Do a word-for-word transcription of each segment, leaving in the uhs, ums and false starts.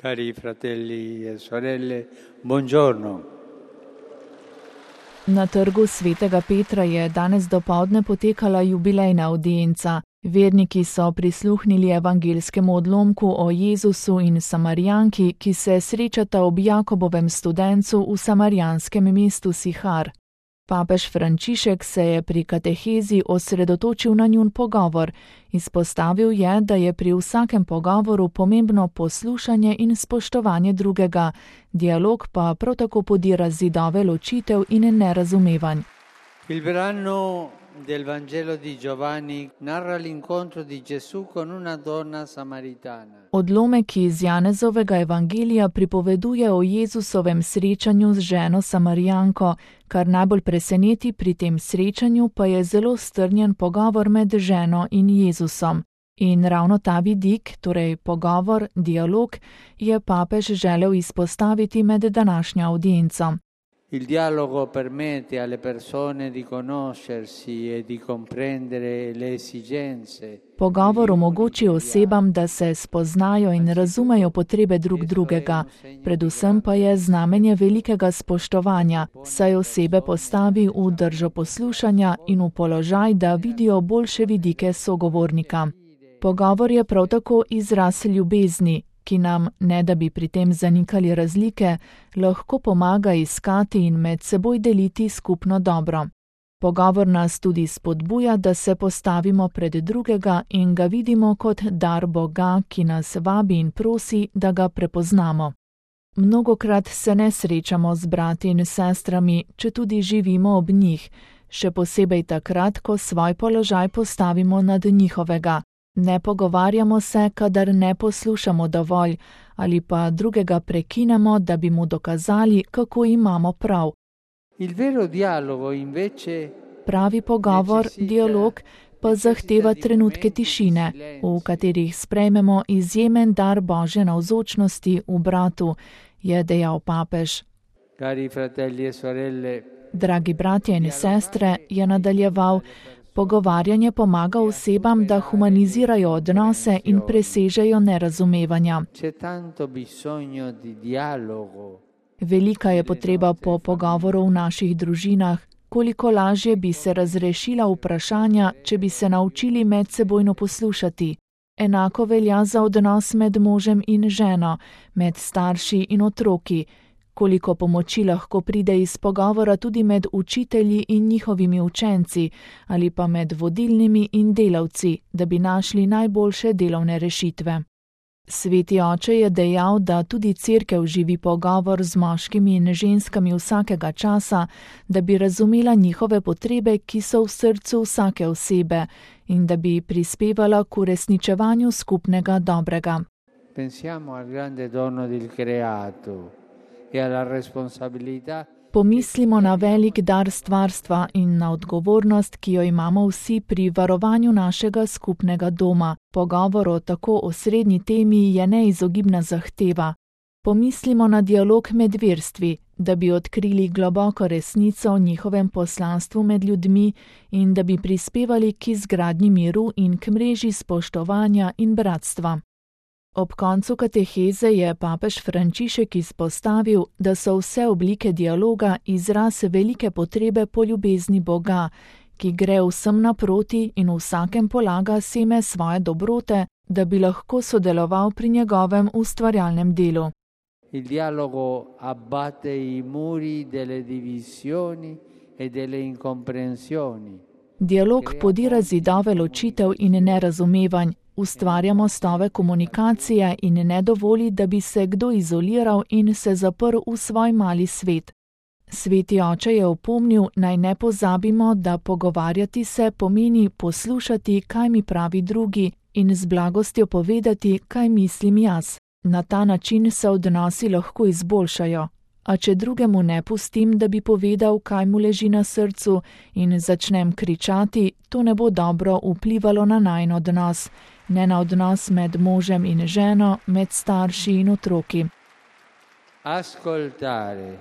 Cari fratelli e sorelle, buongiorno. Na trgu svetega Petra je danes dopoldne potekala jubilejna avdienca. Verniki so prisluhnili evangeljskemu odlomku o Jezusu in Samarijanki, ki se srečata ob Jakobovem studencu v samarijanskem mestu Sihar. Papež Frančišek se je pri katehezi osredotočil na njun pogovor. Izpostavil je, da je pri vsakem pogovoru pomembno poslušanje in spoštovanje drugega, dialog pa prav tako podira zidove ločitev in nerazumevanj. Il brano del Vangelo di Giovanni narra l'incontro di Gesù con una donna samaritana. Odlomek iz Janezovega evangelija pripoveduje o Jezusovem srečanju z ženo Samarijanko, kar najbolj preseneti pri tem srečanju pa je zelo strnjen pogovor med ženo in Jezusom. In ravno ta vidik, torej pogovor, dialog, je papež želel izpostaviti med današnjo avdienco. Il dialogo permette alle persone di conoscersi e di comprendere le esigenze. Pogovor omogoči osebam, da se spoznajo in razumejo potrebe drug drugega, predvsem pa je znamenje velikega spoštovanja, saj osebe postavi v držo poslušanja in v položaj, da vidijo boljše vidike sogovornika. Pogovor je prav tako izraz ljubezni, ki nam, ne da bi pri tem zanikali razlike, lahko pomaga iskati in med seboj deliti skupno dobro. Pogovor nas tudi spodbuja, da se postavimo pred drugega in ga vidimo kot dar Boga, ki nas vabi in prosi, da ga prepoznamo. Mnogokrat se ne srečamo z brati in sestrami, če tudi živimo ob njih, še posebej takrat, ko svoj položaj postavimo nad njihovega. Ne pogovarjamo se, kadar ne poslušamo dovolj, ali pa drugega prekinemo, da bi mu dokazali, kako imamo prav. Il vero dialogo invece Pravi pogovor, dialog, pa zahteva trenutke tišine, v katerih sprejmemo izjemen dar Božje navzočnosti v bratu, je dejal papež. Cari fratelli e sorelle, Dragi bratje in sestre, je nadaljeval, pogovarjanje pomaga osebam, da humanizirajo odnose in presežejo nerazumevanja. c'è tanto bisogno di dialogo. Velika je potreba po pogovoru v naših družinah, koliko lažje bi se razrešila vprašanja, če bi se naučili medsebojno poslušati. Enako velja za odnos med možem in ženo, med starši in otroki. Koliko pomoči lahko pride iz pogovora tudi med učitelji in njihovimi učenci ali pa med vodilnimi in delavci, da bi našli najboljše delovne rešitve. Sveti oče je dejal, da tudi cerkev živi pogovor z moškimi in ženskami vsakega časa, da bi razumela njihove potrebe, ki so v srcu vsake osebe, in da bi prispevala k uresničevanju skupnega dobrega. Pensiamo al grande dono del creato e alla responsabilità. Pomislimo na velik dar stvarstva in na odgovornost, ki jo imamo vsi pri varovanju našega skupnega doma. Pogovor o tako osrednji temi je neizogibna zahteva. Pomislimo na dialog med verstvi, da bi odkrili globoko resnico o njihovem poslanstvu med ljudmi in da bi prispevali k izgradnji miru in k mreži spoštovanja in bratstva. Ob koncu kateheze je papež Frančišek izpostavil, da so vse oblike dialoga izraz velike potrebe po ljubezni Boga, ki gre vsem naproti in vsakem polaga seme svoje dobrote, da bi lahko sodeloval pri njegovem ustvarjalnem delu. Il dialogo abbatte i muri delle divisioni e delle incomprensioni. Dialog podira zidove ločitev in nerazumevanj, ustvarja mostove komunikacije in ne dovoli, da bi se kdo izoliral in se zaprl v svoj mali svet. Sveti oče je opomnil, naj ne pozabimo, da pogovarjati se pomeni poslušati, kaj mi pravi drugi, in z blagostjo povedati, kaj mislim jaz. Na ta način se odnosi lahko izboljšajo. A če drugemu ne pustim, da bi povedal, kaj mu leži na srcu, in začnem kričati, to ne bo dobro vplivalo na najin odnos, ne na odnos med možem in ženo, med starši in otroki. Ascoltare,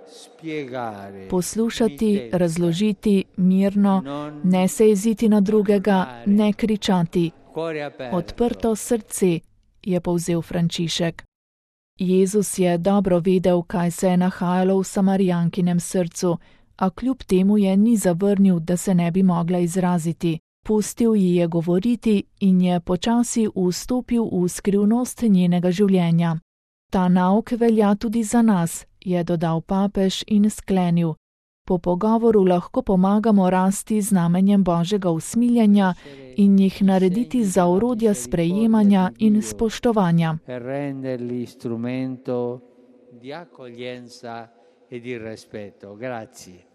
spiegare. Poslušati, razložiti, mirno, ne se jeziti na drugega, ne kričati. Odprto srce, je povzel Frančišek. Jezus je dobro vedel, kaj se je nahajalo v Samarijankinem srcu, a kljub temu je ni zavrnil, da se ne bi mogla izraziti. Pustil ji je govoriti in je počasi vstopil v skrivnost njenega življenja. Ta nauk velja tudi za nas, je dodal papež in sklenil. Po pogovoru lahko pomagamo rasti znamenjem Božjega usmiljenja in jih narediti za orodja sprejemanja in spoštovanja. Per renderli strumento di accoglienza e di rispetto. Grazie.